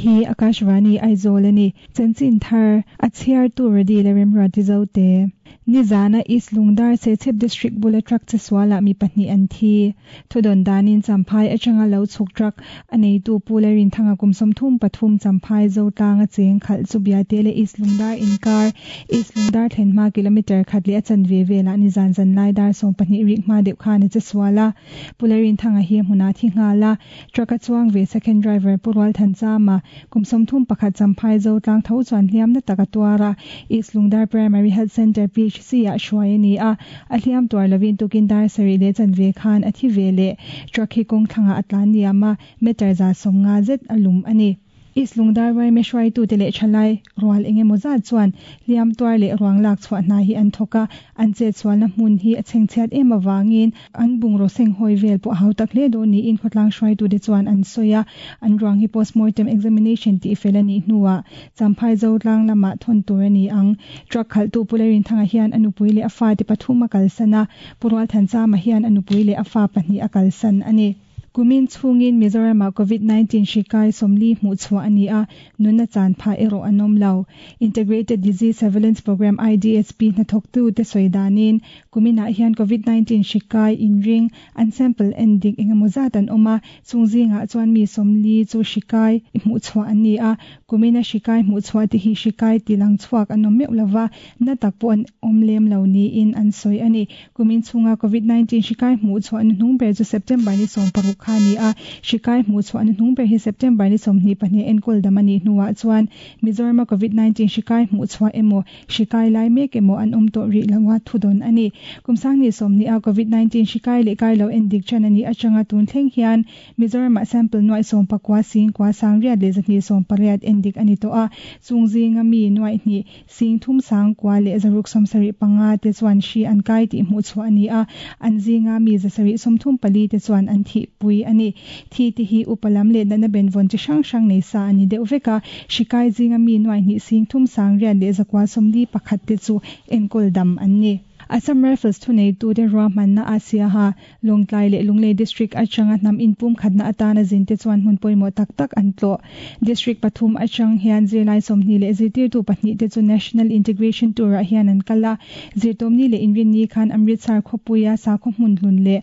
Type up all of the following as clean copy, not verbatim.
hi Akashvani Aizawl a ni. Chanchin thar a chhiartu Radi leh Remruati Zote. Nizana East Lungdar Serchhip District bula truck chesualah mi pahnih an thi. Thudawn danin Champhai atanga lo chhuk truck a neitu Pu Lalrinthanga kum 33 Champhai Zotlanga cheng khalh chu Biate leh East Lungdar inkar East Lungdar thlen hma kilometre khat leh a chanve velah nizan zanlai dar 12 rik hma deuh khan a chesual a. Pu Lalrinthanga hi a hmunah thi nghal a, truck a chuang ve second driver Pu Rualthanchama kum 31 Champhai Zotlang tho chuan hliamna tak a tuar a, East Lungdar Primary Health Centre PHC ah hruai a ni a, a hliam tuar lovin tukin dar sarih leh chanve khan a thi ve leh. Truck hi kawng thlangah a tlan niam a, meter 150 zet a lum a ni. East Lungdar YMA hruaitute leh thalai rual eng emaw zat chuan hliam tuar leh ruang lak chhuah hna hi an thawk a, an chetsualna hmun hi a chhengchhiat em avangin an bungraw seng hawi vel pawh a hau tak hle dawn niin khawtlang hruaitute chuan an sawi a, an ruang hi postmortem examination tih fel a nih hnuah Champhai Zotlang lamah thawn tur a ni ang. Truck khalhtu Pu Lalrinthanga hian a nupui leh a fate pathum a kalsan a, Pu Rualthanchama hian a nupui leh a fa pahnih a kalsan a ni. Kumin chhungin Mizoramah Covid-19 hri kai 40 hmuh chhuah a ni a, nunna chan phah erawh an awm lo. Integrated Disease Surveillance Programme IDSP hnathawktu te sawi danin kuminah hian Covid-19 hri kai inring an sample en dik engemaw zat an awm a, chung zingah chuan mi 40 chu hri kai hmuh chhuah an ni a, kumina hri kai hmuh chhuah te hi hri kai tilang chhuak an awm meuh lova, na tak pawh an awm lem lo niin an sawi a ni. Kumin chhunga Covid-19 hri kai hmuh chhuah na hnung ber chu September ni 16 kha ni a, hri kai hmuh chhuah na hnung ber hi September ni 22 enkawl dam a nih hnuah chuan Mizorama Covid-19 hri kai hmuh chhuah emaw hri kai lai mek emaw an awm tawh rih loa thudawn a ni. Kum sangni 20 a Covid-19 hri kai leh kai lo en dik chan a nih atanga tun thleng hian Mizorama sample nuai 19 sing kwa sang riat leh 280 en dik a ni tawh a, chung zinga mi nuai hnih sing thum sang kwa leh zaruk 75 te chuan hri an kai tih hmuh chhuah a ni a, an zinga mi 734 te chuan an thih pui a ni. Thi te hi upalam leh natna benvawn chi hrang hrang nei sa a ni deuh vek a, hri kai zinga mi nuai hnih sing thum sang riat leh 141 te chu enkawl dam an ni. Assam Rifles thuneitu te ruahmanna a Siaha, Lawngtlai leh Lunglei District atanga hnam inpum khatna atana zin te chuan hmun pawimawh tak tak an tlawh. District pathum atang hian zirlai 20 leh zirtirtu pahnih te chu National Integration Tour ah hian an kal a, zirtawmni leh inrinni khan Amritsar khawpuia sakhaw hmun hlun leh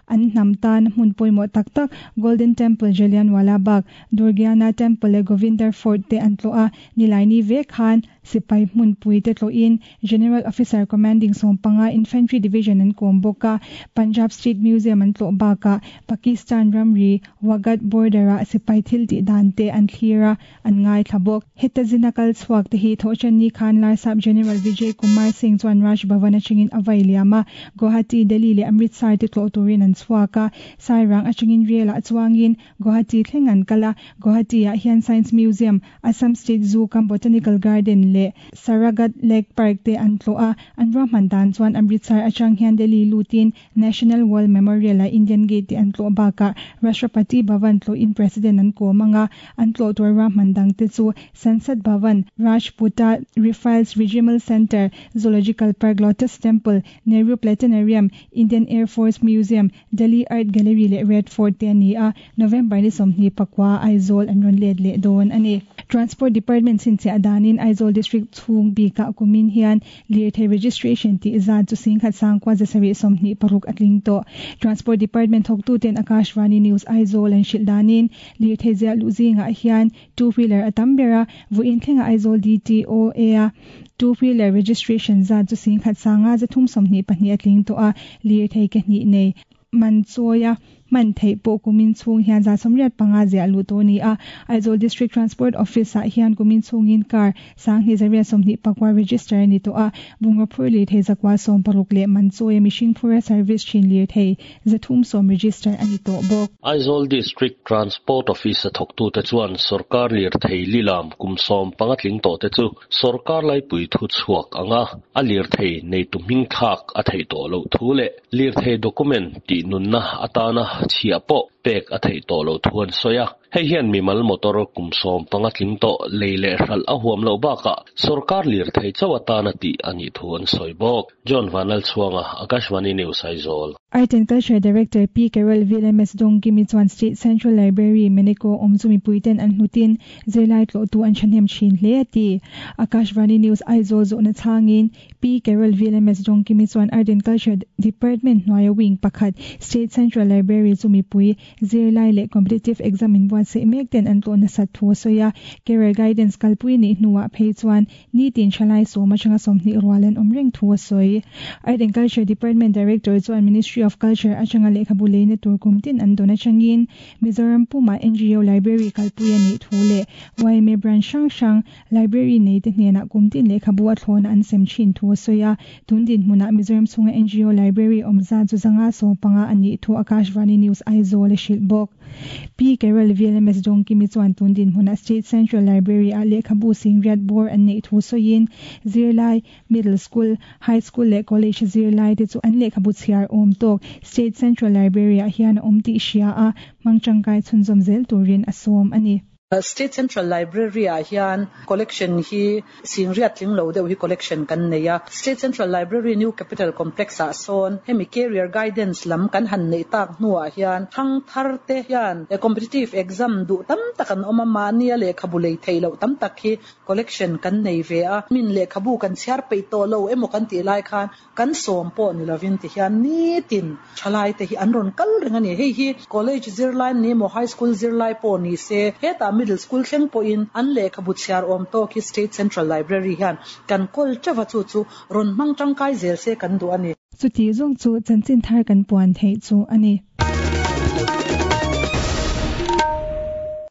an hnam tan hmun pawimawh tak tak Golden Temple, Jallianwala Bagh, Durgiana Temple leh Govindar Fort te an tlawh a, nilaini ve khan sipai hmun pui te tlawhin General Officer Commanding 15 Infantry Division an kawm bawk a, Punjab State Museum an tlawh bakah Pakistan ramri Wagah border ah sipai thil tih dan te an thlir a, an ngai thla bawk. Heta zina kal chhuak te hi Thawhṭanni khan Larsap General Vijay Kumar Singh chuan Raj Bhavan atangin a vai liam a, Guwahati, Delhi leh Amritsar te tlawh turin an chhuak a, Sairang atangin rail ah chuangin Guwahati thleng an kal a, Guwahati ah hian Science Museum, Assam State Zoo kam Botanical Garden leh Saraighat Lake Park te an tlawh a, an ruahman dan chuan Amritsar atang hian Delhi lutin National War Memorial ah Indian Gate te an tlawh bakah Rashtrapati Bhavan tlawhin President an kawm anga, an tlawh tur ruahman dang te chu Sansad Bhavan, Rajputa Rifles Regimental Centre, Zoological Park, Lotus Temple, Nehru Planetarium, Indian Air Force Museum, Delhi Art Gallery leh Red Fort te a ni a, November ni 29 Aizawl an rawn let leh dawn a ni. Transport Department chhinchhiah danin Aizawl District chhung bikah kumin hian lirthei registration tih zat chu singkhat sangkua 726 a tling tawh. Transport Department thawktuten Akashvani News Aizawl an hrilh danin lirthei ziah luh zingah hian two wheeler a tam ber a, vawiin thlenga Aizawl DTOA a two wheeler registration zat chu singkhat sanga 322 a tling tawh a, lirthei ke hnih nei man chawia man thei pawh kumin chhung hian 185 ziah luh tawh ni a. Aizawl District Transport Office ah hian kumin chhungin car sang hnih 124 register ni tawh a, bungraw phur lirthei 160 leh man chawia mihring phura service thin lirthei 310 register ani tawh bawk. Aizawl District Transport Office a thawktu te chuan sarkar lirthei lilam kum 15 tling tawh te chu sarkar laipui thu chhuak anga a lirthei nei tu hming thlak a thei tawh lo thu leh lirthei document tih nunna atana chhia pawh pek a theih tawh loh thu an sawi a. Hei hian mimal motor kum 15 tling tawh lei leh hralh a huam loh bakah sorkar lirthei chauh atana tih a nih thu an sawi bawk. John Vanlalchhuanga, Akashvani News, Aizawl. Art and Culture Director Pi Carol VLMS Dawngkimi chuan State Central Library, Meneko awm chu mipuiten an hlutin zirlai tlawhtu an thahnem thin hle a ti. Akashvani News Aizawl zawhna chhangin Pi Carol VLMS Dawngkimi chuan Art and Culture Department hnuaia wing pakhat State Central Library chu mipui zirlai leh competitive exam inbuatsaih mek ten an tlawh nasat thu a sawi a. Career Guidance kalpui nih hnuah phei chuan nitin thalai sawm atanga 20 rual an awm reng thu a sawi. Art and Culture Department Director chuan Ministry of Culture atanga lehkhabu leina tur kum tin an dawn atangin Mizoram puma NGO Library kalpui a nih thu leh YMA branch hrang hrang Library nei te hnenah kum tin lehkhabu a thlawna an sem thin thu a sawi a. Tun din hmunah Mizoram chhunga NGO Library awm zat chu 115 a nih thu Akashvani News Aizawl a hrilh bawk. Pi Carol VLMS Dawngkimi chuan tun din hmunah State Central Library a lehkhabu singriat bawr an neih thu sawiin zirlai, Middle School, High School leh College zirlai te chu an lehkhabu chhiar awm tawk State Central Library ah hian a awm tih hria a, hmang tangkai chhunzawm zel turin a sawm a ni. State Central Library ah hian collection hi singriat tling lo deuh hi collection kan nei a. State Central Library New Capital Complex ah sawn hemi career guidance lam kan han neih tak hnuah hian thang thar te hian competitive exam duh tam tak an awm a, mahnia lehkhabu lei theih loh tam tak hi collection kan nei ve a. Min lehkhabu kan chhiar peih tawh lo emaw kan tih lai khan kan sawm pawh ni lovin ti hian nitin thalai te hi an rawn kal reng a ni. Hei hi college zirlai an ni emaw high school zirlai pawh ni se, hetah middle school thleng pawhin an lehkhabu chhiar awm tawk hi State Central Library hian kan kawl teuh a, chu chu rawn hmang tangkai zel se kan duh a ni. Chuti zawng chu chanchin thar kan puan theih chu a ni.